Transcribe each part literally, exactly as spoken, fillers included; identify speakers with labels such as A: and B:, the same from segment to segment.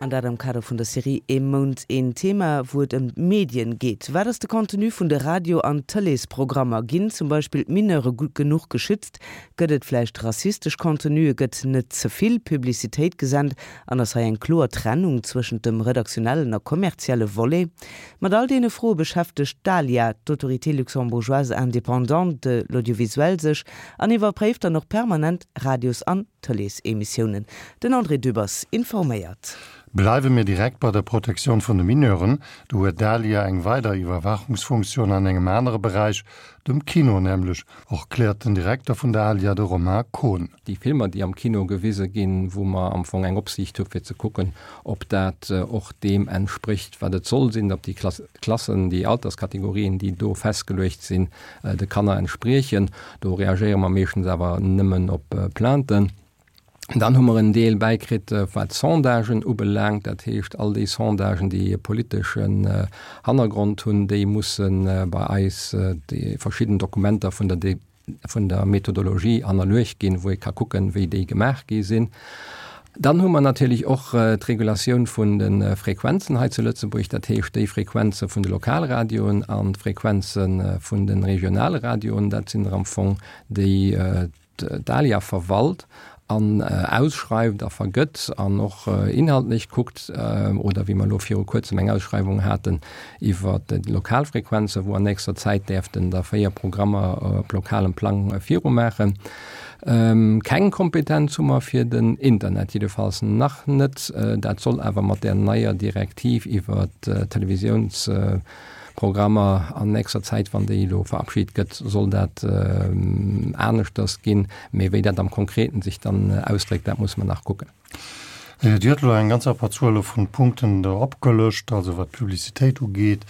A: An dat am Kader vun der Serie Ee Mount een Thema, wou et ëm d'Medien geet. Wat ass de Contenu vun de Radio an Tëleesprogrammer? Ginn zum Beispill d'Mineure gutt genuch geschützt? Gëtt et vläicht rassistesch Contenue? Gëtt net ze vill Publicitéit gesent? An ass hei eng kloer Trennung zwëschent dem redaktionellen a kommerzielle Volet? Mat all deene Froe beschäftegt d'ALIA, d'Autorité luxembourgeoise indépendante de l'audiovisuel, sech an iwwerpréift dann och permanent Radios an Tëleesemissiounen. Den André Dübbers informéiert.
B: Bleiwe mir direkt bei der Protektioun vun de Mineuren, do huet d'ALIA eng weider Iwwerwaachungsfunktioun an engem anere Beräich, dem Kino nämlech, erkläert den Direkter vun der ALIA, de Romain Kohn.
C: Déi Filmer, déi am Kino gewise ginn, wou mer am Fong eng Opsiicht hu fir ze kucken, ob dat och deem entsprécht, wat et soll sinn, ob déi Klassen, déi Alterskategorien, déi do festgeluecht sinn, de Kanner entspriechen. Do reagéiere mer meeschtens awer nëmmen op Plainten. Dann hu mer en Deel bäikritt, wat d'Sondagen ubelaangt, dat heescht all déi Sondagen, déi e politeschen Hannergrond hunn, déi musse bei eis déi verschidden Dokumenter vun der vun der Methodologie hannerluecht ginn, wou ee ka kucken, wéi déi gemaach gi sinn. Dann hu mer natierlech och d'Regulatioun vun de Frequenzen hei zu Lëtzebuerg, dat heescht déi Frequenze vun de Lokalradioen an d'Frequenze vun de regionale Radioen. Dat sinn der am Fong déi d'ALIA verwalt an ausschreift a vergëtt an och inhaltlech kuckt, oder wéi mer elo viru Kuerzem eng Ausschreiwung haten iwwer déi lokal Frequenzen, wou an nächster Zäit däerften der véier Programmer op lokalem Plang virumaachen. Keng Kompetenz hu mer fir den Internet, jiddefalls nach net. Dat soll awer mat där neier Direktiv iwwer d'Televisiouns, Programmer an nächster Zäit, wann déi elo verabschit gëtt, soll dat aneschters ginn. Mee wéi dat am Konkreten sech dann ausdréckt, dat musse mer nach kucken.
B: Dir hutt elo eng ganz Abberzuel vu Punkten do opgelëscht, also wat d'Publicitéit ugeet,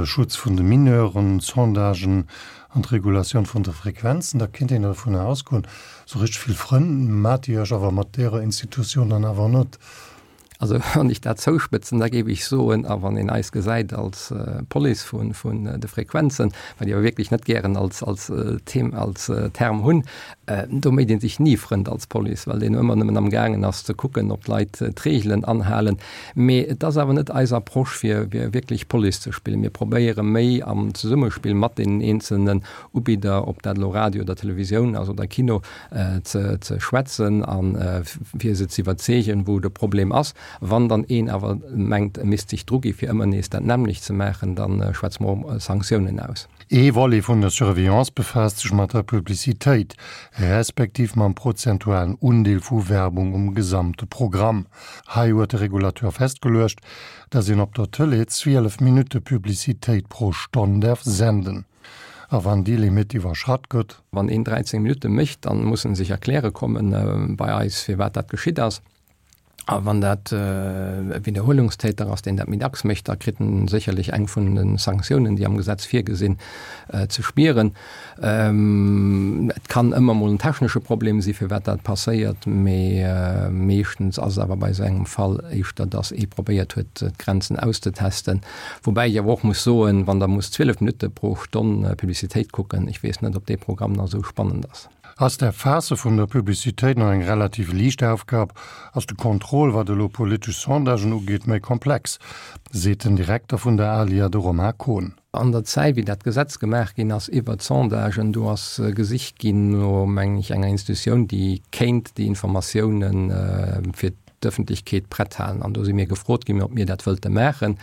B: Schutz vun de Mineuren, Sondagen an d'Regulatioun vun de Frequenzen. Da kéint een dovunner ausgoen, esou richteg vill Frënn maacht Dir Iech awer mat deerer Institutioun dann awer net.
C: Also wann ech dat zouspëtzen, da géif ech soen, a wann een eis gesäit als Police vun vun de Frequenzen, wat ech awer wierklech net gären als als Them als Term hunn, do mécht ee sech ni Frënd als Police, well deen ëmmer nëmmen amgaangen ass ze kucken, ob d'Leit d'Reegelen anhalen. Mee et ass awer net eis Approche fir fir wierklech Police ze spillen. Mir probéiere méi am Zesummespill mat deenen eenzelnen Ubidder, ob dat elo Radio oder Televisioun ass oder Kino, ze ze schwätzen a fir se ze iwwerzeegen, wou de Problem ass. Wann dann een awer mengt, e misst sech drugi fir ëmmer nees dat nämmlecht ze maachen, da schwätze mer och Sanktiounen aus.
B: Ee Volet vun der Surveillance befaasst sech mat der Publicitéit, respektiv mam prozentualen Undeel vu Werbung um gesamte Programm. Hei huet de Regulateur festgeluecht, datt een op der Tëlee zwielef Minutte Publicitéit pro Stonn däerf senden. A wann déi Limitt iwwerschratt gëtt.
C: Wann een dräizéng Minutte mécht, dann muss en sech erkläre kommen bei eis, firwat dat geschitt ass. A wann dat e Widderhuelungstäter ass, deen dat méi dacks mécht, da kritt en sécherlech eng vun de Sanktiounen, déi am Gesetz virgesinn, ze spieren. Et kann ëmmer mol en technesche Problem si firwat dat passéiert, mee meeschtens ass et awer bei esou engem Fall éischter, datt ee probéiert huet, d'Grenzen auszetesten. Woubäi ech awer och muss soen, wann Der musst zwielef Minutte pro Stonn Publicitéit kucken, ech weess net, ob dee Programm nach esou spannend ass.
B: Ass d'Erfaasse vun der Publicitéit nach eng relativ liicht Aufgab, ass de Contrôle, wat elo politesch Sondagen ugeet, méi komplex, seet den Direkter vun der ALIA, de Romain Kohn.
C: An der Zäit, wéi dat Gesetz gemaach ginn ass iwwert d'Sondagen, do ass gesicht ginn no, mengen ech, enger Institutioun, déi kéint déi Informatiounen fir d'Ëffentlechkeet prett halen. An do si mir gefrot ginn, ob mir dat wëllte maachen.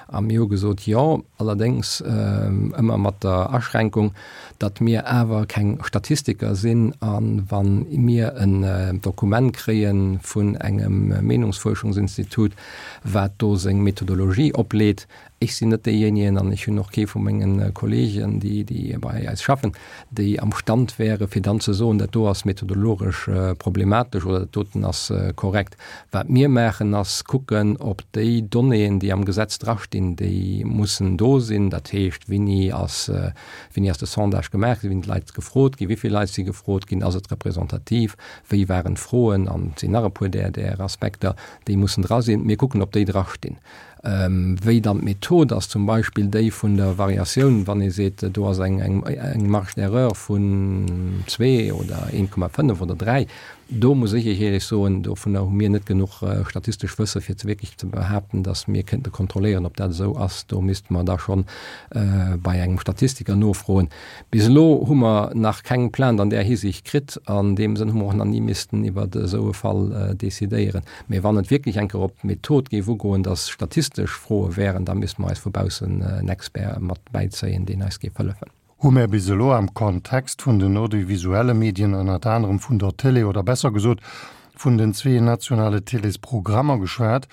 C: A mir hu gesot, Jo, allerdéngs ëmmer mat der Aschränkung, datt mir awer keng Statistiker sinn. A wa mir en Dokument kréie vun engem Meenungsfuerschungsinstitut, wat do seng Methodologie opleet, ech sinn net deejéinegen an ech hunn och kee vu menge Kollegen, déi, déi bei eis schaffen, déi am Stand wäre fir dann ze soen, dat do ass methodologesch problematesch oder dat doten ass korrekt. Wat mir maachen, ass kucken, ob déi Donnéeën, déi am Gesetz drastinn, déi mussen do sinn. Dat heescht, wéini ass, wéini ass de Sondage gemaach ginn, wéini sinn d'Leit gefrot ginn, wéi vill Leit si gefrot ginn, ass et representativ, wéi waren d'Froen, an et sinn nach e puer där, där Aspekter, déi mussen dra sinn. Mir kucken, ob déi drastinn. Wéi dann d'Method ass, zum Beispill déi vun der Variatioun, wann ee seet, do ass eng Marge d'erreur vun zwee oder een Komma fënnef oder dräi, Do muss ech Iech éierlech soen, dovunner hu mir net genuch statistesch Wësse fir ze wierklech ze behaapten, datt mir kéinte kontrolléieren, ob dat esou ass. Do misste mer da schonn bei engem Statistiker nofroen. Bis elo hu mer nach keng Plainte an där Hisiicht kritt. An deem Sënn hu mer och nach ni missten iwwer esou e Fall decidéieren. Mee wann et wierklech eng Kéier op d'Method géif ugoen, datt statistesch Froe wären, da misste mer eis vu baussen en Expert mat bäizéien, deen eis géif hëllefen.
B: Hu mär bis elo am Kontext vun den audiovisuelle Medien, ënnert anerem vun der Télé oder besser gesot vun den zwee nationale Télésprogrammer geschwat,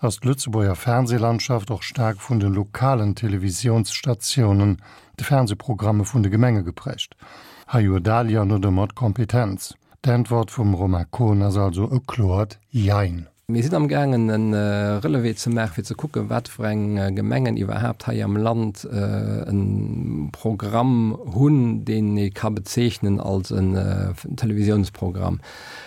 B: ass d'Lëtzebuerger Fernsehlandschaft och staark vun de lokalen Televisiounsstatiounen, de Fernsehprogramme vun de Gemenge geprägt. Hei huet d'ALIA net ëmmer d'Kompetenz. D'Äntwert vum Romain Kohn ass also e kloert Jein.
C: Mir sinn amgaangen e Relevé ze maachen, fir ze kucken, wat fir eng Gemengen iwwerhaapt hei am Land e Programm hunn, deen ee ka bezeechnen als en Televisiounsprogramm.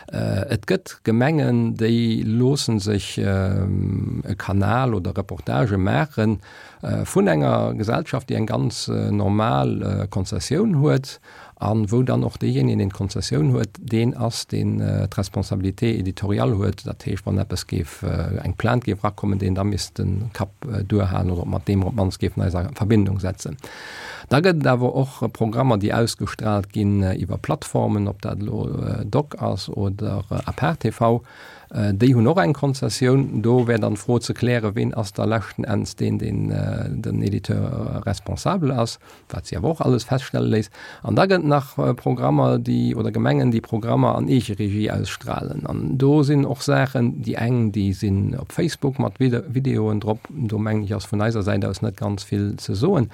C: Et gëtt Gemengen, déi loosse sech e Kanal oder Reportagë maache vun enger Gesellschaft, déi eng ganz normal Konzessioun huet, a wou dann och deejéinegen, deen d'Konzessioun huet, deen ass, deen d'Responsabilité éditoriale huet, dat heescht, wann eppes géif, eng Plainte géif erakommen, deen da misst de Kapp duerhalen oder mat deem mer op d'mannst géifen eis a Verbindung setzen. Da gëtt et awer och Programmer, déi ausgestrahlt ginn iwwer Plattformen, ob dat elo Doc ass oder Apart TV, déi hunn och eng Konzessioun. Do wär dann d'Fro ze klären, ween ass da leschten Enns deen, deen den Éditeur responsable ass, wat si awer och alles feststelle léisst. An da gëtt nach Programmer, déi, oder Gemengen, déi Programmer an Eegeregie ausstrahlen. An do sinn och Saachen, déi eng, déi sinn op Facebook mat Videoen drop, do mengen ech ass vun eiser Säit aus net ganz vill ze soen,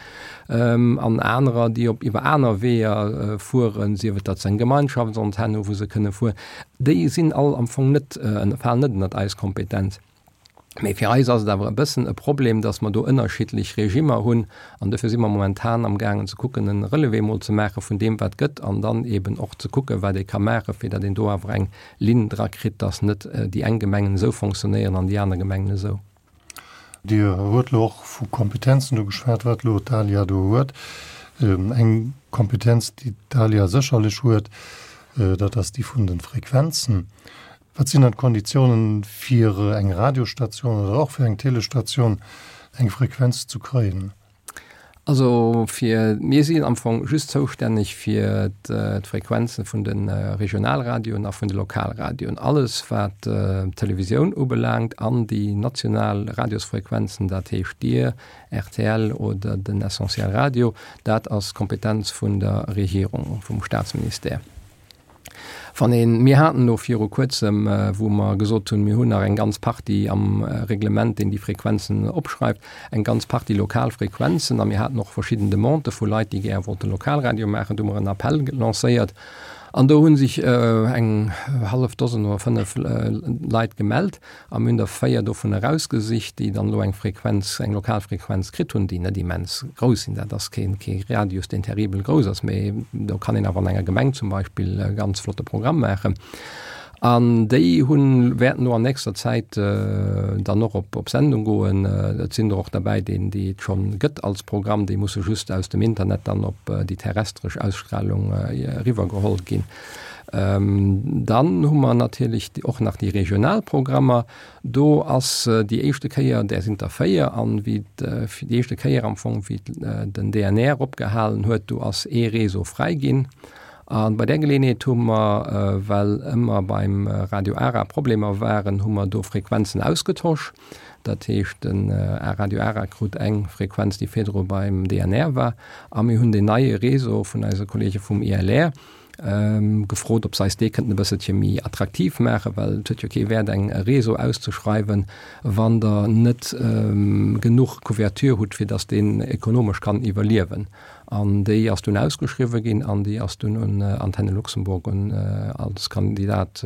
C: an anerer, déi op iwwer aner Weeër fueren, sief et datt se eng Gemeinschaftsantenn hu wou se kënne fueren, déi sinn all am Fong net, falen net ënnert eis Kompetenz. Mee fir eis ass et awer e bëssen e Problem, datt mer do ënnerschiddlech Regimmer hunn. An dofir si mer momentan amgaangen ze kucken, e Relevé mol ze maache vun deem, wat gëtt, an dann eeben och ze kucken, wat ee ka maachen, fir datt een do awer eng Linn dra kritt, datt net déi eng Gemengen esou fonctionnéieren an déi aner Gemengen esou.
B: Dir huet elo och vu Kompetenzen do geschwat, wat elo d'ALIA do huet. Eng Kompetenz, déi d'ALIA sécherlech huet, dat ass déi vun de Frequenzen. Wat sinn dann d'Konditiounen, fir eng Radiostation oder och fir eng Télestation eng Frequenz zu kréien?
C: Also fir, mir sinn am Fong just zoustänneg fir d'Frequenze vun de Regionalradioen a vun de Lokalradioen. Alles wat d'Televisioun ubelaangt an déi national Radiosfrequenzen, dat heescht Dir, rtl oder den Essentiel Radio, dat ass d'Kompetenz vun der Regierung, vum Staatsministère. Wann een, mir haten elo viru Kuerzem, wou mer gesot hunn, mir hunn nach eng ganz Partie am Reglement, deen déi Frequenzen opschreift, eng ganz Partie lokal Frequenzen a mir haten och verschidden Demandë vu Leit, déi gär wollte Lokalradio maachen. Do hu mer en Appell lancéiert an do hu sech eng hallef Dosen oder fënnef Leit gemellt. A mir hunn der véier dovun erausgesicht, déi dann elo eng Frequenz, eng lokal Frequenz kritt hunn, déi net immens grouss sinn. Dat ass keen, kee Radius, deen terribel grouss ass, mee do kann een awer an enger Gemeng zum Beispill e ganz flotte Programm maachen. An déi hunn, wäerten elo an nächster Zäit dann och op, op Sendung goen. Et sinn der och derbäi, deen, déi et schonn gëtt als Programm, déi musse just aus dem Internet dann op déi terrestresch Ausstrahlung eriwwergeholl ginn. Dann hu mer natierlech och nach déi regional Programmer. Do ass déi éischte Kéier, där sinn der véier, an wéi déi éischte Kéier am Fong, wéi den D N R opgehalen huet, do ass ee Réseau fräi ginn. A bei där Geleeënheet hu mer, well ëmmer beim Radio Ara Problemer waren, hu mer do Frequenzen ausgetosch. Dat heescht, den Radio Ara krut eng Frequenz, déi virdru beim D N R war, a mir hunn deen neie Réseau vun eise Kollege vum I L R gefrot, ob se eis dee kënnten e bësselche méi attraktiv maachen, well et huet jo kee Wäert, eng e Réseau auszeschreiwen, wann Der net genuch Couverture hutt, fir datt deen ekonomesch kann iwwerliewen. An déi ass dunn ausgeschriwwen ginn an déi ass dunn un Antenne Luxembourg un als Kandidat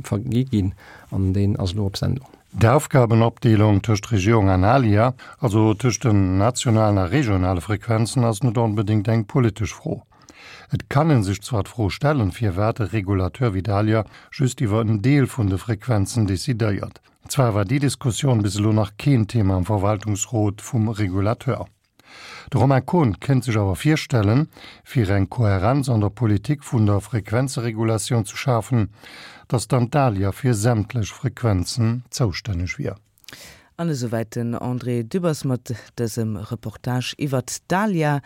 C: vergi ginn an deen ass elo op Sendung.
B: D'Aufgabenopdeelung tëscht Regierung an ALIA, also tëscht den nationalen a regionale Frequenzen, ass net onbedéngt eng politesch Fro. Et kann ee sech zwar d'Fro stellen, firwat e Regulateur wéi d'ALIA just iwwer en Deel vun de Frequenzen decidéiert. Zwar war déi Diskussioun bis elo nach keen Thema am Verwaltungsrot vum Regulateur. De Romain Kohn kéint sech awer virstellen, fir eng Kohärenz an der Politik vun der Frequenzeregulatioun ze schafen, datt dann d'ALIA fir sämtlech Frequenzen zoustänneg wier.
A: An esouwäit den André Dübbers mat dësem Reportage iwwert d'ALIA.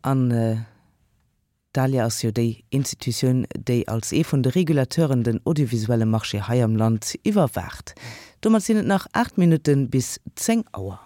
A: An d'ALIA ass jo déi Institutioun, déi als ee vun de Regulateuren den audiovisuelle Marché hei am Land iwwerwaacht. Domat sinn et nach aacht Minutte bis zéng Auer.